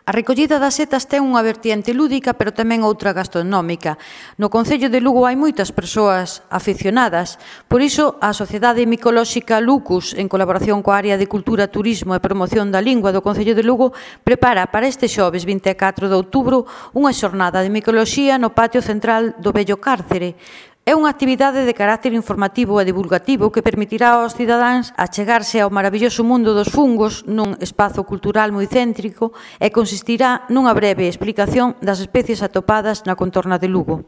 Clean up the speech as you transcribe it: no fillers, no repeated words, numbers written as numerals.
A recollida das setas ten unha vertiente lúdica, pero tamén outra gastronómica. No Concello de Lugo hai moitas persoas aficionadas, por iso a Sociedade Micolóxica Lucus, en colaboración coa Área de Cultura, Turismo e Promoción da Lingua do Concello de Lugo, prepara para este xoves 24 de outubro unha xornada de micoloxía no patio central do vello cárcere. É unha actividade de carácter informativo e divulgativo que permitirá aos cidadáns achegarse ao maravilloso mundo dos fungos nun espazo cultural moi céntrico e consistirá nunha breve explicación das especies atopadas na contorna de Lugo.